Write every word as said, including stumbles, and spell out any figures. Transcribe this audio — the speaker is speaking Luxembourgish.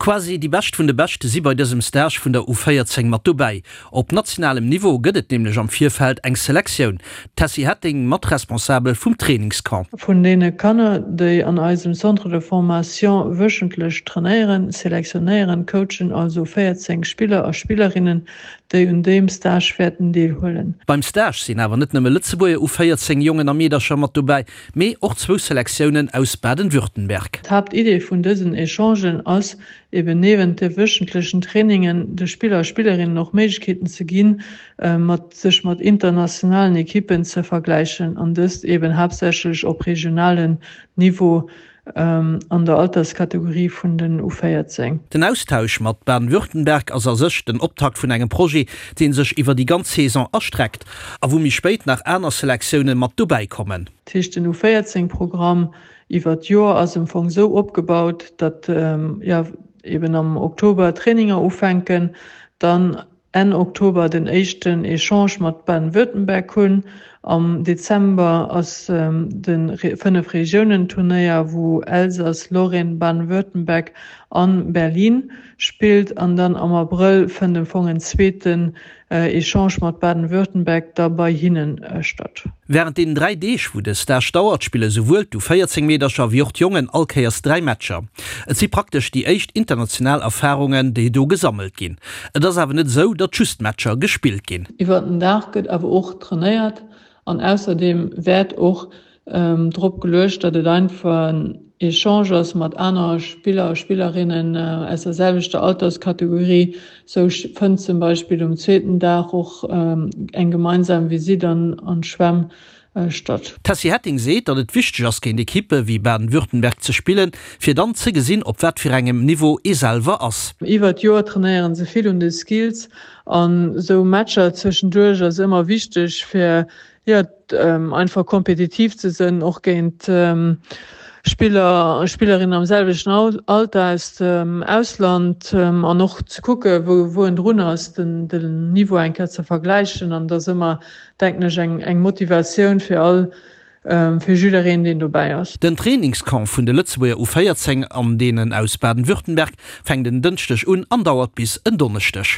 Quasi déi Bescht vun de Beschte si bei dësem Stage vun der U véierzéng mat dobäi. Op nationalem Niveau gëtt et nämlech am Virfeld eng Selektioun. D'Tessy Hetting, Matresponsabel vum Trainingscamp. Vun deene Kanner, déi an eisem Centre de formation wöchentlech trainéieren, selektionéieren d'Coachen also véierzéng Spiller a Spillerinnen, déi un deem Stage wäerten deelhuelen. Beim Stage sinn awer net nëmme Lëtzebuerger U véierzéng Jongen a Meedercher mat dobäi, mee och zwou Selektiounen aus Baden-Württemberg. D'Haaptidee vun dësen Echangen ass eben niewent de wöchentlechen Trainingen de Spiller a Spillerinnen och Méiglechkeeten ze ginn, mat sech mat internationalen Ekippen ze vergläichen an dëst eben haaptsächlech op regionalen Niveau an der Alterskategorie vun den U véierzéng. Den Austausch mat Baden-Württemberg ass a sech den Optakt vun engem Projet, dee sech iwwer déi ganz Saison erstreckt a wou méi spéit nach aner Selektioune mat dobäi kommen. Dat heescht, den U véierzéng Programm iwwer d'Joer ass am Fong esou opgebaut, datt jo eben am Oktober d'Traininger ufänken, dann Enn Oktober den éischten Echange mat Baden-Württemberg hunn. Am Dezember ass de Fënnef Regiounen Turnéier, wou Elsass, Lorraine, Baden-Württemberg an Berlin spillt. An dann am Abrëll fënnt am Fong en zweeten Echange mat Baden-Württemberg da bei hinnen statt. Wärend deenen dräi Deeg, wou de Stage dauert, spille souwuel d'U véierzéng Meedercher wéi och d'Jongen all Kéiers dräi Matcher. Et si praktesch déi éischt international Erfarungen, déi do gesammelt ginn. Et ass awer net esou, datt just Matcher gespillt ginn. Iwwer den Dag gëtt awer och trainéiert an ausserdeem wäert och drop geluecht, datt et einfach en Echange ass mat aner Spiller a Spillerinnen aus der selwechter Alterskategorie. Sou fënnt zum Beispill um zweeten Dag och eng gemeinsam Visitt an d'Schwämm statt. D'Tessy Hetting seet, datt et wichteg ass, géint Ekippe wéi Baden-Württemberg ze spillen, fir dann ze gesinn, op wat fir engem Niveau ee selwer ass. Iwwer d'Joer trainéiere se vill un de Skills an esou Matcher zwëschenduerch ass ëmmer wichteg, fir jo einfach kompetitiv ze sënn, och géint Spiller a Spillerinnen am selwechten Alter aus dem Ausland an och ze kucke wou en drun ass, den Niveau eng Kéier ze vergläichen an et ass ëmmer, denken ech, eng Motivatioun fir all, fir jiddereen deen dobäi ass. Den Trainingscamp vun de Lëtzebuerger U véierzéng an deenen aus Baden-Württemberg fänkt en Dënschdeg un an dauert bis en Donneschdeg.